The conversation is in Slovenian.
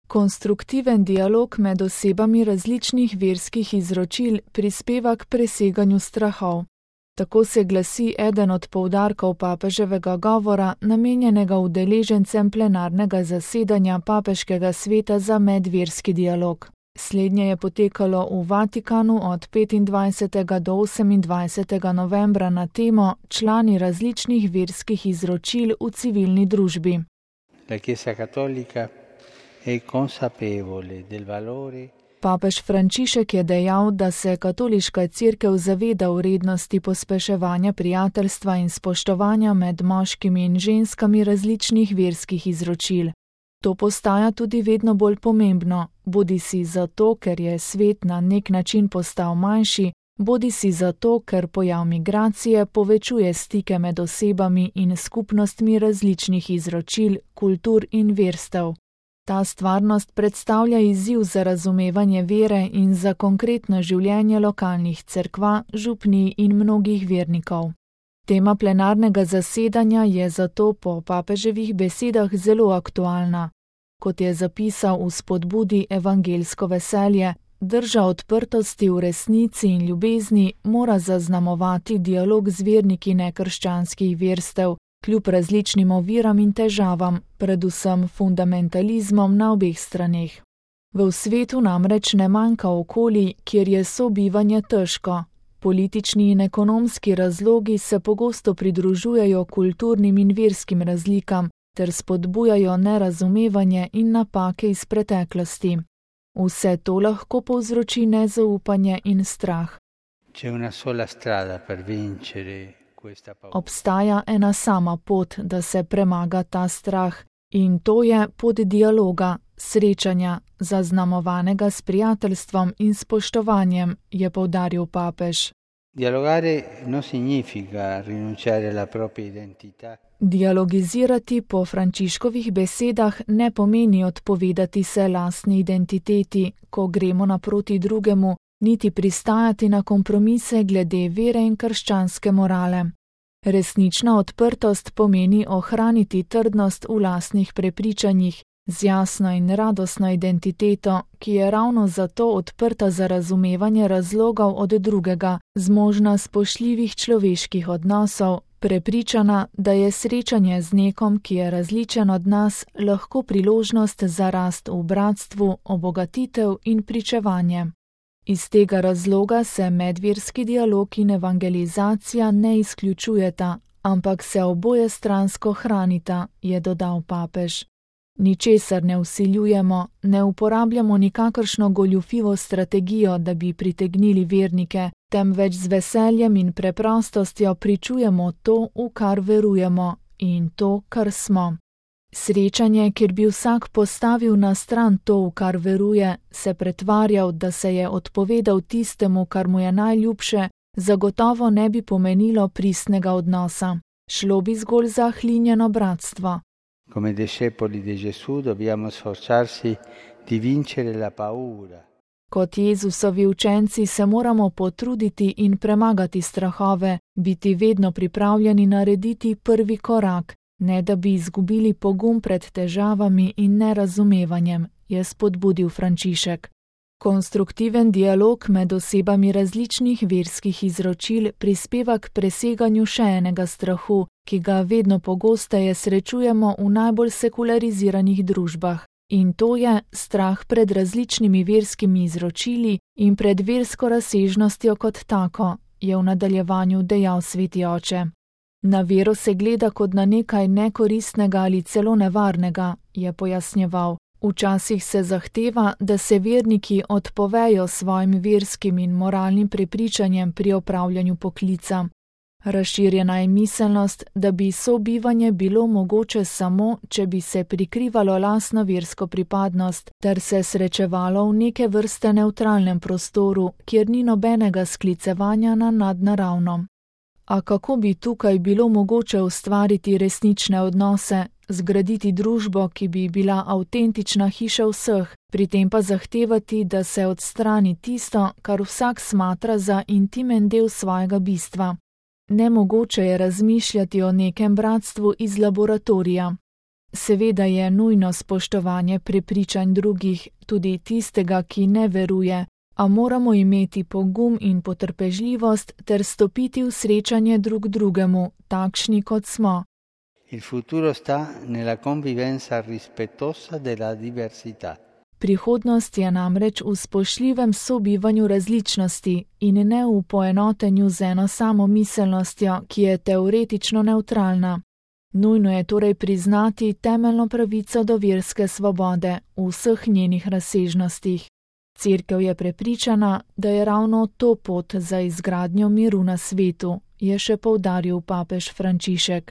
Konstruktiven dialog med osebami različnih verskih izročil prispeva k preseganju strahov. Tako se glasi eden od poudarkov papeževega govora, namenjenega udeležencem plenarnega zasedanja Papeškega sveta za medverski dialog. Slednje je potekalo v Vatikanu od 25. do 28. novembra na temo Člani različnih verskih izročil v civilni družbi. La Chiesa Cattolica è consapevole del valore. Papež Frančišek je dejal, da se katoliška cerkev zaveda vrednosti pospeševanja prijateljstva in spoštovanja med moškimi in ženskami različnih verskih izročil. To postaja tudi vedno bolj pomembno, bodisi zato, ker je svet na nek način postal manjši, bodisi zato, ker pojav migracije povečuje stike med osebami in skupnostmi različnih izročil, kultur in verstev. Ta stvarnost predstavlja izziv za razumevanje vere in za konkretno življenje lokalnih cerkva, župnij in mnogih vernikov. Tema plenarnega zasedanja je zato po papeževih besedah zelo aktualna. Kot je zapisal v spodbudi Evangelsko veselje, drža odprtosti v resnici in ljubezni mora zaznamovati dialog z verniki nekrščanskih verstev, kljub različnim oviram in težavam, predvsem fundamentalizmom na obeh straneh. V svetu namreč ne manjka okolij, kjer je sobivanje težko. Politični in ekonomski razlogi se pogosto pridružujejo kulturnim in verskim razlikam ter spodbujajo nerazumevanje in napake iz preteklosti. Vse to lahko povzroči nezaupanje in strah. Obstaja ena sama pot, da se premaga ta strah, in to je pot dialoga, srečanja, zaznamovanega s prijateljstvom in spoštovanjem, je poudaril papež. Dialogizirati po Frančiškovih besedah ne pomeni odpovedati se lastni identiteti, ko gremo naproti drugemu, niti pristajati na kompromise glede vere in krščanske morale. Resnična odprtost pomeni ohraniti trdnost v lastnih prepričanjih, z jasno in radostno identiteto, ki je ravno zato odprta za razumevanje razlogov od drugega, zmožna spoštljivih človeških odnosov, prepričana, da je srečanje z nekom, ki je različen od nas, lahko priložnost za rast v bratstvu, obogatitev in pričevanje. Iz tega razloga se medverski dialog in evangelizacija ne izključujeta, ampak se oboje stransko hranita, je dodal papež. Ničesar ne vsiljujemo, ne uporabljamo nikakršno goljufivo strategijo, da bi pritegnili vernike, temveč z veseljem in preprostostjo pričujemo to, v kar verujemo, in to, kar smo. Srečanje, kjer bi vsak postavil na stran to, v kar veruje, se pretvarjal, da se je odpovedal tistemu, kar mu je najljubše, zagotovo ne bi pomenilo pristnega odnosa. Šlo bi zgolj za hlinjeno bratstvo. Come discepoli di Gesù dobbiamo sforzarsi di vincere la paura. Kot Jezusovi učenci se moramo potruditi in premagati strahove, biti vedno pripravljeni narediti prvi korak, ne da bi izgubili pogum pred težavami in nerazumevanjem, je spodbudil Frančišek. Konstruktiven dialog med osebami različnih verskih izročil prispeva k preseganju še enega strahu, ki ga vedno pogosteje srečujemo v najbolj sekulariziranih družbah. In to je strah pred različnimi verskimi izročili in pred versko razsežnostjo kot tako, je v nadaljevanju dejal sveti oče. Na vero se gleda kot na nekaj nekoristnega ali celo nevarnega, je pojasnjeval. Včasih se zahteva, da se verniki odpovejo svojim verskim in moralnim prepričanjem pri opravljanju poklica. Razširjena je miselnost, da bi sobivanje bilo mogoče samo, če bi se prikrivalo lastno versko pripadnost, ter se srečevalo v neke vrste nevtralnem prostoru, kjer ni nobenega sklicevanja na nadnaravno. A kako bi tukaj bilo mogoče ustvariti resnične odnose, zgraditi družbo, ki bi bila avtentična hiša vseh, pri tem pa zahtevati, da se odstrani tisto, kar vsak smatra za intimen del svojega bistva. Nemogoče je razmišljati o nekem bratstvu iz laboratorija. Seveda je nujno spoštovanje prepričanj drugih, tudi tistega, ki ne veruje, a moramo imeti pogum in potrpežljivost ter stopiti v srečanje drug drugemu, takšni kot smo. Il futuro sta nella convivenza rispettosa della diversità. Prihodnost je namreč v spoštljivem sobivanju različnosti in ne v poenotenju z eno samo miselnostjo, ki je teoretično nevtralna. Nujno je torej priznati temeljno pravico do verske svobode v vseh njenih razsežnostih. Cerkev je prepričana, da je ravno to pot za izgradnjo miru na svetu, je še poudaril papež Frančišek.